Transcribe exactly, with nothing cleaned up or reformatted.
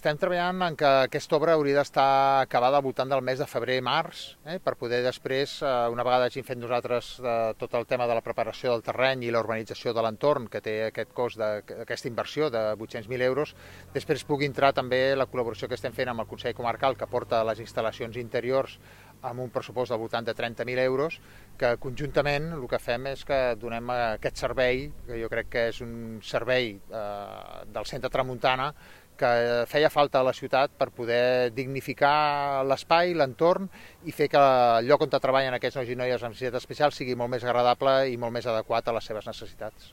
Estem treballant en que aquesta obra hauria d'estar acabada al voltant del mes de febrer-març, eh, per poder després, eh, una vegada hagin fet nosaltres eh, tot el tema de la preparació del terreny i la urbanització de l'entorn, que té aquest cost d'aquesta inversió de vuit-cents mil euros, després pugui entrar també la col·laboració que estem fent amb el Consell Comarcal, que porta les instal·lacions interiors amb un pressupost del voltant de trenta mil euros, que conjuntament el que fem és que donem aquest servei, que jo crec que és un servei eh, del centre Tramuntana, que feia falta a la ciutat per poder dignificar l'espai, l'entorn i fer que el lloc on treballen aquests nois i noies amb necessitats especials sigui molt més agradable i molt més adequat a les seves necessitats.